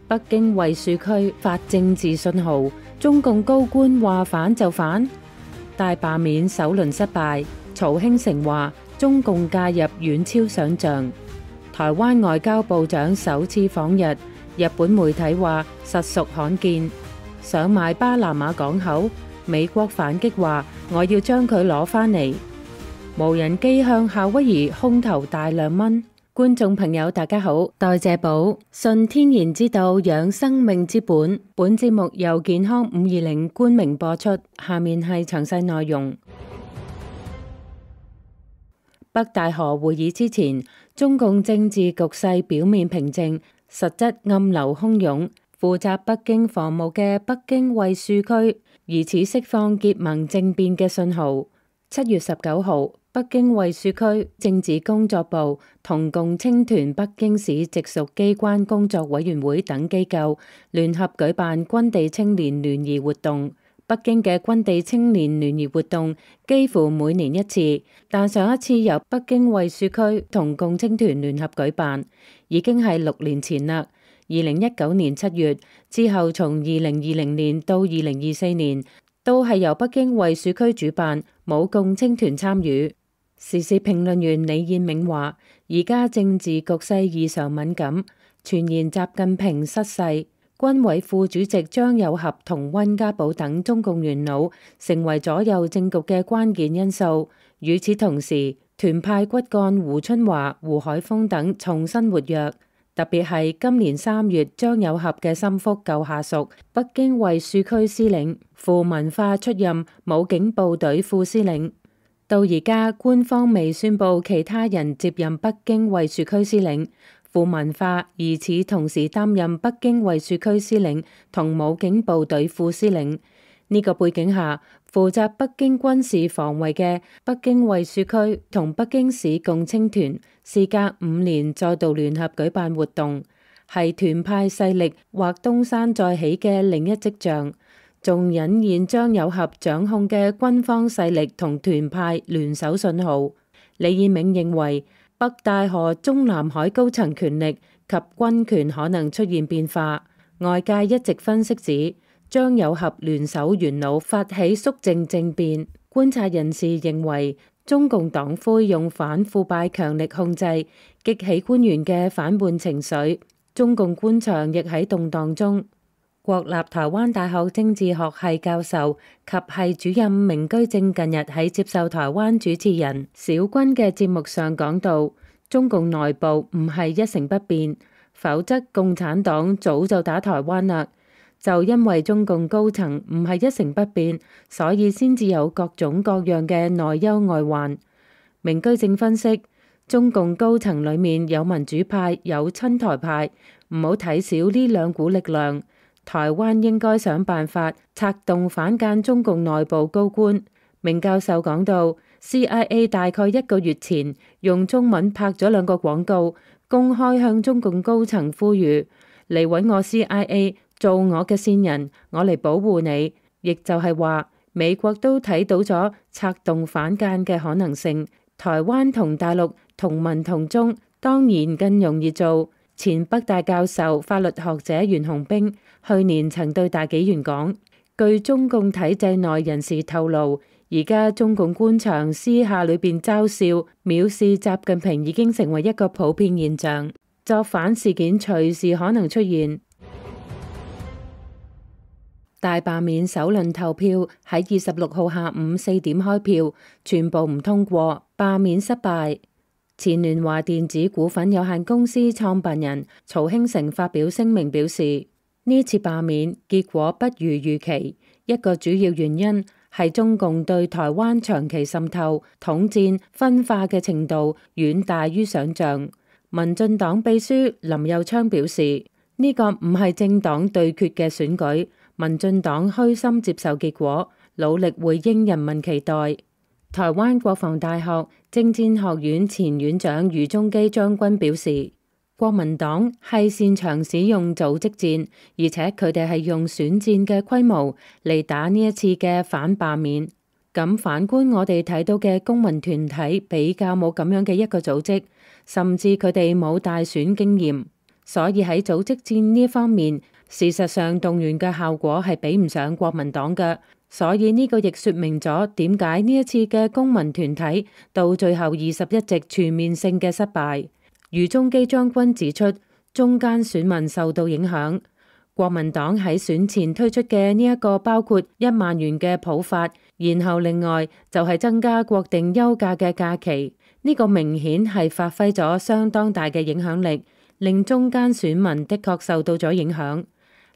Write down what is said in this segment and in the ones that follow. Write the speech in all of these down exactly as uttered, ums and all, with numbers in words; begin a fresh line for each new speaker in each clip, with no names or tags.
北京衛戍區發政治信號，中共高官話反就反。大罷免首輪失敗，曹興誠話中共介入遠超想象。台灣外交部長首次訪日，日本媒體話實屬罕見。想買巴拿馬港口，美國反擊話我要將佢攞返嚟。無人機向夏威夷空投大量蚊。觀眾朋友大家好，代謝寶順天然之道養生命之本。本節目由健康五二零冠名播出。下面係詳細內容。北戴河會議之前，中共政治局勢表面平靜，實質暗流洶湧。負責北京防務嘅北京衛戍區疑似釋放結盟政變嘅信號。七月十九號，北京衛戍區政治工作部同共青團北京市直屬機關工作委員會等機構聯合舉辦軍地青年聯誼活動。北京嘅軍地青年聯誼活動幾乎每年一次，但上一次由北京衛戍區同共青團聯合舉辦已經係六年前啦。二零一九年七月之後，從二零二零年到二零二四年都係由北京衛戍區主辦，冇共青團參與。時事評論員李彥銘話：而家政治局勢異常敏感，傳言習近平失勢，軍委副主席張又俠同溫家寶等中共元老成為左右政局嘅關鍵因素。與此同時，團派骨幹胡春華、胡海峰等重新活躍。特別係今年三月，張又俠嘅心腹舊下屬北京衛戍區司令傅文化出任武警部隊副司令。到而家官方未宣布其他人接任北京衛戍區司令，傅文化疑似同時擔任北京衛戍區司令同武警部隊副司令。呢個背景下，負責北京軍事防衛嘅北京衛戍區同北京市共青團事隔五年再度聯合舉辦活動，係團派勢力或東山再起嘅另一跡象，仲隱現張又俠掌控嘅軍方勢力同團派聯手信號。李彥銘認為，北戴河中南海高層權力及軍權可能出現變化。外界一直分析指，張又俠聯手元老發起肅靜政變。觀察人士認為，中共黨魁用反腐敗強力控制，激起官員嘅反叛情緒。中共官場亦喺動盪中。國立台灣大學政治學系教授及系主任明居正近日喺接受台灣主持人小軍嘅節目上講到，中共內部唔係一成不變，否則共產黨早就打台灣啦。就因為中共高層唔係一成不變，所以先至有各種各樣嘅內憂外患。明居正分析，中共高層裡面有民主派，有親台派，唔好睇小呢兩股力量。台灣應該想辦法策動反間中共內部高官。明教授講到 C I A 大概一個月前用中文拍咗兩個廣告，公開向中共高層呼籲嚟揾我 C I A 做我嘅線人，我嚟保護你。亦就係話美國都睇到咗策動反間嘅可能性，台灣同大陸同文同宗當然更容易做。前北大教授法律學者袁洪兵去年曾對大紀元講，據中共體制內人士透露，而家中共官場私下裏邊嘲笑藐視習近平已經成為一個普遍現象，作反事件隨時可能出現。大罷免首輪投票喺二十六號下午四點開票，全部唔通過，罷免失敗。前聯華電子股份有限公司創辦人曹興誠發表聲明表示，呢次罷免結果不如預期，一個主要原因係中共對台灣長期滲透、統戰、分化嘅程度遠大於想象。民進黨秘書林右昌表示，呢個唔係政黨對決嘅選舉，民進黨虛心接受結果，努力回應人民期待。台灣國防大學政戰學院前院長余中基將軍表示，國民黨係擅長使用組織戰，而且佢哋係用選戰嘅規模嚟打呢一次嘅反罷免。咁反觀我哋睇到嘅公民團體比較冇咁樣嘅一個組織，甚至佢哋冇大選經驗。所以喺組織戰呢方面，事實上動員嘅效果係比唔上國民黨嘅。所以呢個亦說明咗點解呢一次嘅公民團體到最後二十一席全面性嘅失敗。余宗基將軍指出，中間選民受到影響。國民黨喺選前推出嘅呢一個包括一萬元嘅普發，然後另外就係增加國定休假嘅假期，呢個明顯係發揮咗相當大嘅影響力，令中間選民的確受到咗影響。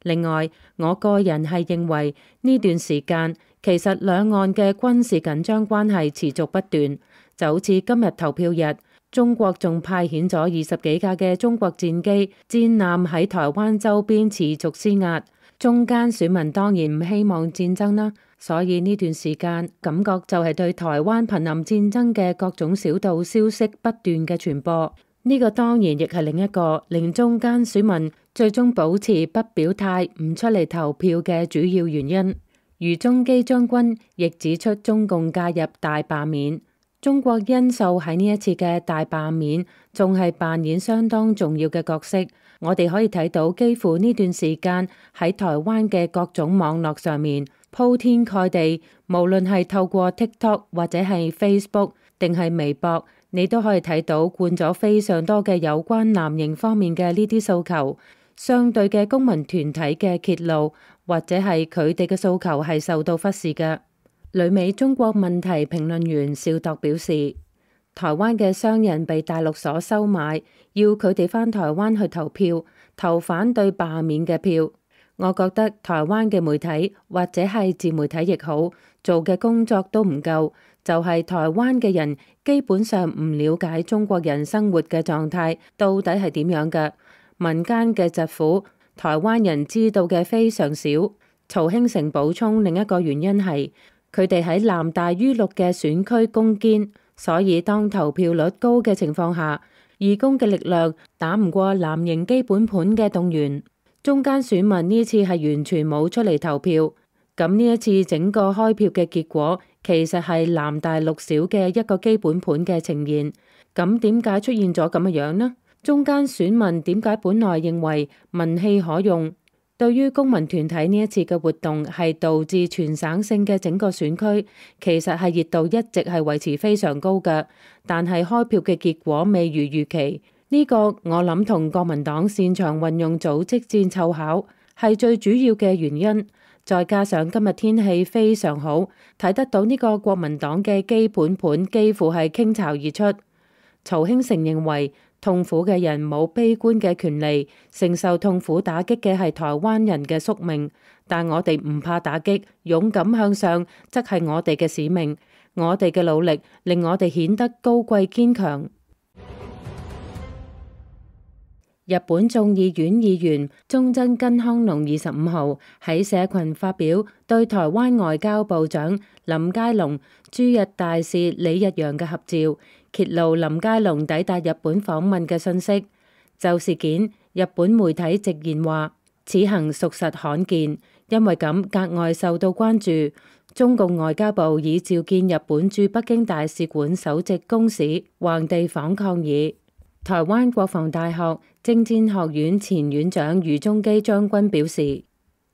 另外，我個人係認為呢段時間其實兩岸嘅軍事緊張關係持續不斷，就好似今日投票日，中國仲派遣咗二十幾架嘅中國戰機、戰艦喺台灣周邊持續施壓。中間選民當然唔希望戰爭啦，所以呢段時間感覺就係對台灣瀕臨戰爭嘅各種小道消息不斷嘅傳播。呢個當然亦係另一個令中間選民最終保持不表態、唔出嚟投票嘅主要原因。余宗基將軍亦指出，中共介入大罷免，中國因素喺呢一次嘅大罷免仲係扮演相當重要嘅角色。我哋可以睇到，幾乎呢段時間喺台灣嘅各種網絡上面鋪天蓋地，無論係透過 TikTok 或者係 Facebook 定係微博，你都可以睇到灌咗非常多嘅有關藍營方面嘅呢啲訴求，相對嘅公民團體嘅揭露，或者係佢哋嘅訴求係受到忽視嘅。旅美中國問題評論員邵鐸表示，台灣嘅商人被大陸所收買，要佢哋返台灣去投票，投反對罷免嘅票。我覺得台灣嘅媒體或者係自媒體亦好，做嘅工作都唔夠，就係台灣嘅人基本上唔了解中國人生活嘅狀態到底係點樣嘅，民間嘅疾苦，台灣人知道嘅非常少。曹興誠補充，另一個原因係佢哋喺藍大於綠嘅選區攻堅，所以當投票率高嘅情況下，義工嘅力量打唔過藍營基本盤嘅動員。中間選民呢次係完全冇出嚟投票，咁呢一次整個開票嘅結果其實係藍大綠小嘅一個基本盤嘅呈現。咁點解出現咗咁嘅樣呢？中間選民點解本來認為民氣可用，對於公民團體呢一次嘅活動係導致全省性嘅整個選區其實係熱度一直係維持非常高嘅，但係開票嘅結果未如預期。呢個我諗同國民黨擅長運用組織戰湊巧係最主要嘅原因，再加上今日天氣非常好，睇得到呢個國民黨嘅基本盤幾乎係傾巢而出。曹興誠認為，痛苦嘅人冇悲觀嘅權利，承受痛苦打擊嘅係台灣人嘅宿命，但我哋唔怕打擊，勇敢向上則係我哋嘅使命。我哋嘅努力令我哋顯得高貴堅強。日本眾議院議員中曾根康隆二十五號喺社群發表對台灣外交部長林佳龍駐日大使李日陽嘅合照，揭露林佳龍抵達日本訪問嘅信息。就事件，日本媒體直言話，此行屬實罕見，因為咁格外受到關注。中共外交部已召見日本駐北京大使館首席公使，橫地訪抗議。台灣國防大學政戰學院前院長余宗基將軍表示，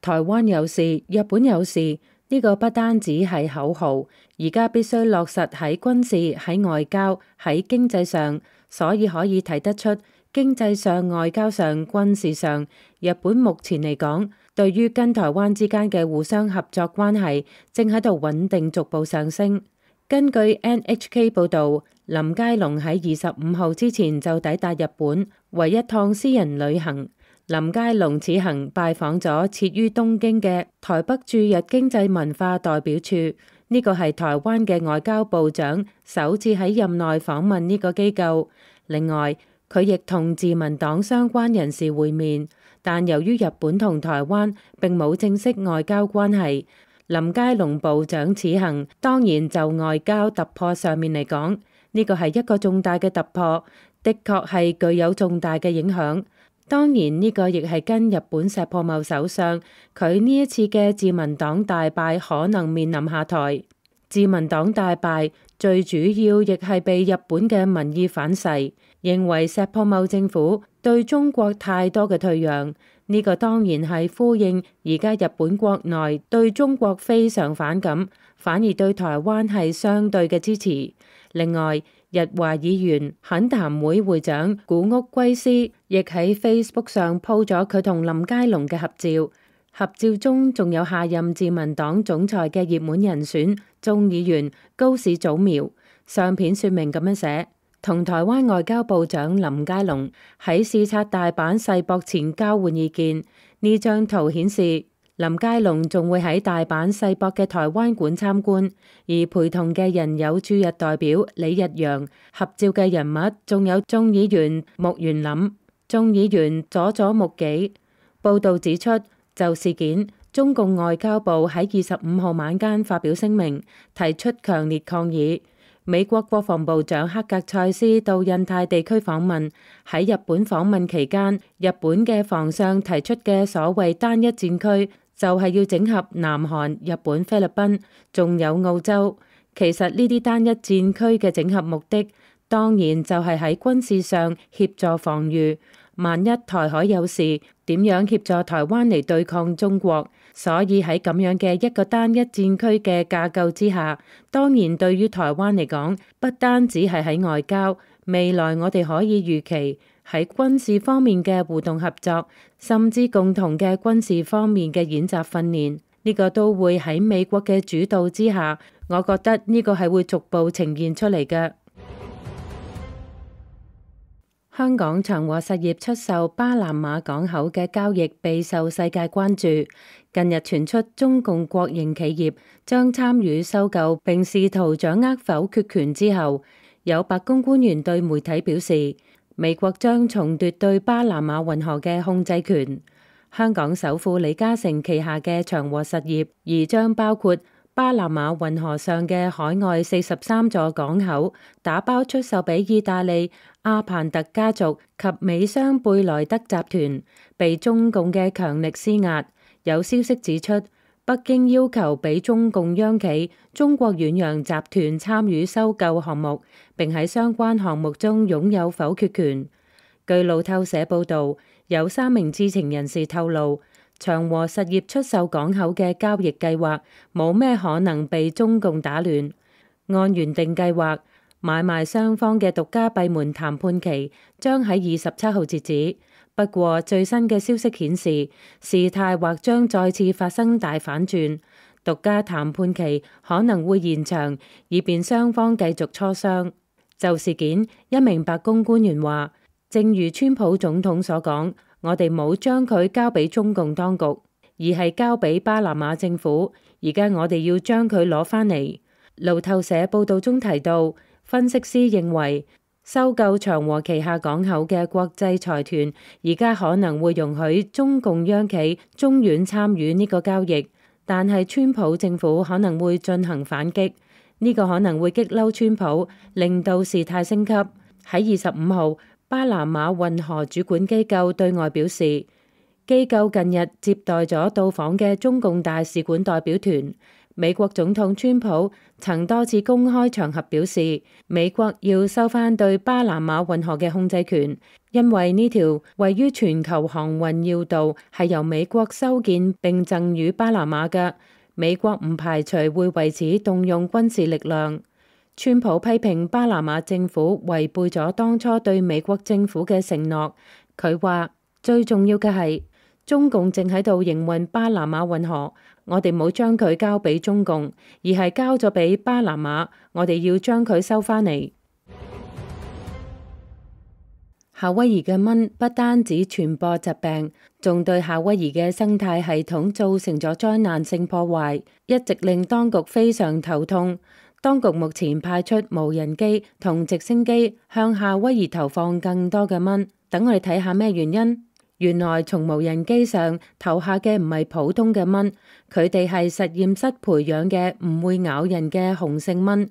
台灣有事，日本有事，呢個不單止係口號，而家必須落實喺軍事、喺外交、喺經濟上，所以可以睇得出，經濟上、外交上、軍事上，日本目前嚟講，對於跟台灣之間嘅互相合作關係，正喺度穩定逐步上升。根據 N H K 報導，林佳龍喺二十五號之前就抵達日本，為一趟私人旅行。林佳龍此行拜訪咗設於東京嘅台北駐日經濟文化代表處，呢個係台灣嘅外交部長首次喺任內訪問呢個機構。另外，佢亦同自民黨相關人士會面，但由於日本同台灣並冇正式外交關係，林佳龍部長此行當然就外交突破上面嚟講，呢個係一個重大嘅突破，的確係具有重大嘅影響。當然呢個亦係跟日本石破茂首相佢呢一次嘅自民黨大敗可能面臨下台。自民黨大敗最主要亦係被日本嘅民意反噬，認為石破茂政府對中國太多嘅退讓。呢個當然係呼應而家日本國內對中國非常反感，反而對台灣係相對嘅支持。另外，日華議員懇談會會長古屋圭司亦喺 Facebook 上 po 咗佢同林佳龍嘅合照，合照中仲有下任自民黨總裁嘅熱門人選眾議員高市早苗。相片說明咁樣寫：同台灣外交部長林佳龍喺視察大阪世博前交換意見。呢張圖顯示林佳龍仲會喺大阪世博嘅台灣館參觀，而陪同嘅人有駐日代表李日陽，合照嘅人物仲有眾議員木原稔、眾議員佐佐木紀。報道指出，就事件，中共外交部喺二十五號晚間發表聲明，提出強烈抗議。美國國防部長克格塞斯到印太地區訪問，喺日本訪問期間，日本嘅防相提出嘅所謂單一戰區，就係要整合南韓、日本、菲律賓，仲有澳洲。其實呢啲單一戰區嘅整合目的，當然就係喺軍事上協助防禦。萬一台海有事，點樣協助台灣嚟對抗中國？所以喺咁樣嘅一個單一戰區嘅架構之下，當然對於台灣嚟講，不單止係喺外交，未來我哋可以預期喺軍事方面嘅互動合作，甚至共同嘅軍事方面嘅演習訓練，呢個都會喺美國嘅主導之下，我覺得呢個係會逐步呈現出嚟嘅。香港長和實業出售巴拿馬港口嘅交易備受世界關注。近日傳出中共國營企業將參與收購並試圖掌握否決權之後，有白宮官員對媒體表示，美國將重奪對巴拿馬運河嘅控制權。香港首富李嘉誠旗下嘅長和實業而將包括巴拿馬運河上嘅海外四十三座港口打包出售俾意大利阿彭特家族及美商貝萊德集團，被中共嘅強力施壓。有消息指出，北京要求俾中共央企中國遠洋集團參與收購項目，並喺相關項目中擁有否決權。據路透社報道，有三名知情人士透露，長和實業出售港口嘅交易計劃冇咩可能被中共打亂。按原定計劃，買賣雙方嘅獨家閉門談判期將喺二十七號截止。不過最新嘅消息顯示，事態或將再次發生大反轉，獨家談判期可能會延長，以便雙方繼續磋商。就事件，一名白宮官員話，正如川普總統所講，我哋冇將佢交俾中共當局，而係交俾巴拿馬政府。而家我哋要將佢攞返嚟。路透社報道中提到，分析師認為，收購長和旗下港口嘅國際財團，而家可能會容許中共央企中遠參與呢個交易，但係川普政府可能會進行反擊，呢個可能會激嬲川普，令到事態升級。喺二十五號，巴拿馬運河主管機構對外表示，機構近日接待咗到訪嘅中共大使館代表團。美國總統川普曾多次公開場合表示，美國要收返對巴拿馬運河嘅控制權，因為呢條位於全球航運要道係由美國修建並贈予巴拿馬嘅，美國唔排除會為此動用軍事力量。川普批評巴拿馬政府違背咗當初對美國政府嘅承諾，佢話最重要嘅係中共正喺度營運巴拿馬運河，我哋冇將佢交俾中共，而係交咗俾巴拿馬，我哋要將佢收返嚟。夏威夷嘅蚊不單止傳播疾病，仲對夏威夷嘅生態系統造成咗災難性破壞，一直令當局非常頭痛。當局目前派出無人機同直升機向夏威夷投放更多嘅蚊，等我哋睇下咩原因。原來從無人機上投下嘅唔係普通嘅蚊，佢哋係實驗室培養嘅唔會咬人嘅雄性蚊，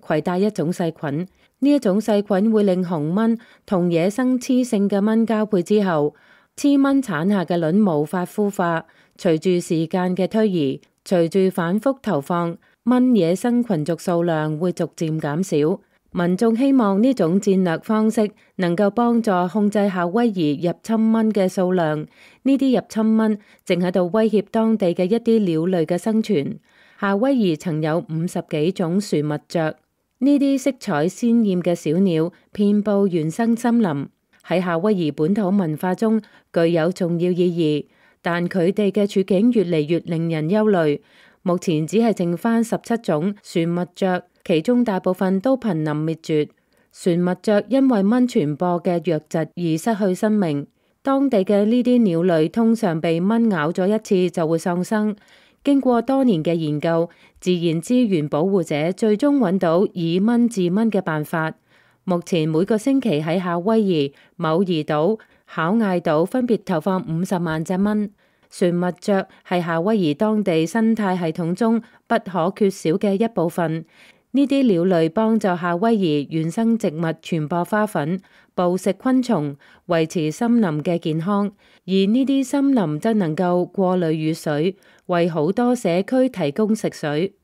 攜帶一種細菌。呢一種細菌會令雄蚊同野生雌性嘅蚊交配之後，雌蚊產下嘅卵無法孵化。隨住時間嘅推移，隨住反覆投放，蚊野生群族數量會逐漸減少。民眾希望呢種戰略方式能夠幫助控制夏威夷入侵蚊嘅數量。呢啲入侵蚊正喺度威脅當地嘅一啲鳥類嘅生存。夏威夷曾有五十幾種樹蜜雀，呢啲色彩鮮豔嘅小鳥遍佈原生森林，喺夏威夷本土文化中具有重要意義。但佢哋嘅處境越嚟越令人憂慮。目前只係剩翻十七種樹蜜雀，其中大部分都瀕臨滅絕。樹蜜雀因為蚊傳播嘅瘧疾而失去生命。當地嘅呢啲鳥類通常被蚊咬咗一次就會喪生。經過多年嘅研究，自然資源保護者最終揾到以蚊治蚊嘅辦法。目前每個星期喺夏威夷、某怡島、考艾島分別投放五十萬隻蚊。樹蜜雀係夏威夷當地生態系統中不可缺少嘅一部分。呢啲鳥類幫助夏威夷原生植物傳播花粉、捕食昆蟲、維持森林嘅健康，而呢啲森林則能夠過濾雨水，為好多社區提供食水。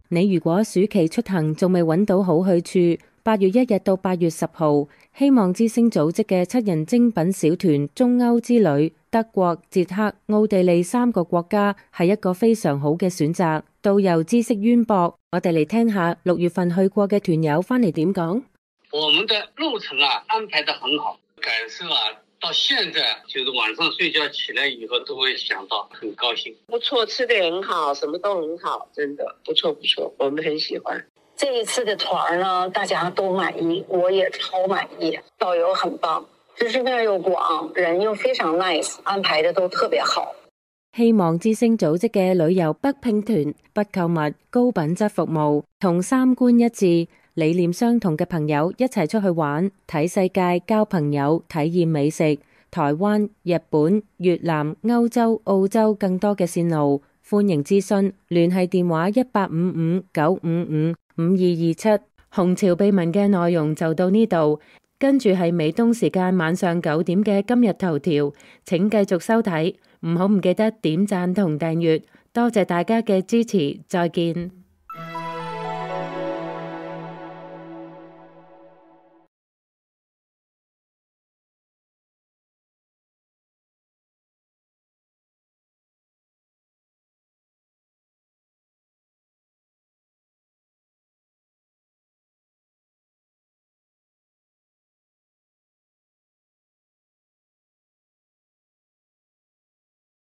你如果暑期出行仲未揾到好去處，八月一日到八月十號，希望之星組織嘅七人精品小團中歐之旅，德國、捷克、奧地利三個國家係一個非常好嘅選擇。導遊知識淵博，我哋嚟聽下六月份去過嘅團友翻嚟點講。
我們的路程啊安排得很好，感受啊到現在就是晚上睡覺起來以後都會想到，很高興。
不錯，吃得很好，什麼都很好，真的不錯不錯，我們很喜歡。
這一次的團呢，大家都滿意，我也超滿意。導遊很棒，知識面又廣，人又非常 nice， 安排得都特別好。
希望之星組織嘅旅遊北拼團，不購物，高品質服務，同三觀一致、理念相同嘅朋友一齊出去玩、睇世界、交朋友、體驗美食。台灣、日本、越南、歐洲、澳洲更多嘅線路，歡迎諮詢，聯繫電話一八五五九五五五二二七。紅潮秘聞嘅內容就到呢度，跟住係美東時間晚上九點嘅今日頭條，請繼續收睇，唔好唔記得點讚同訂閱，多謝大家嘅支持，再見。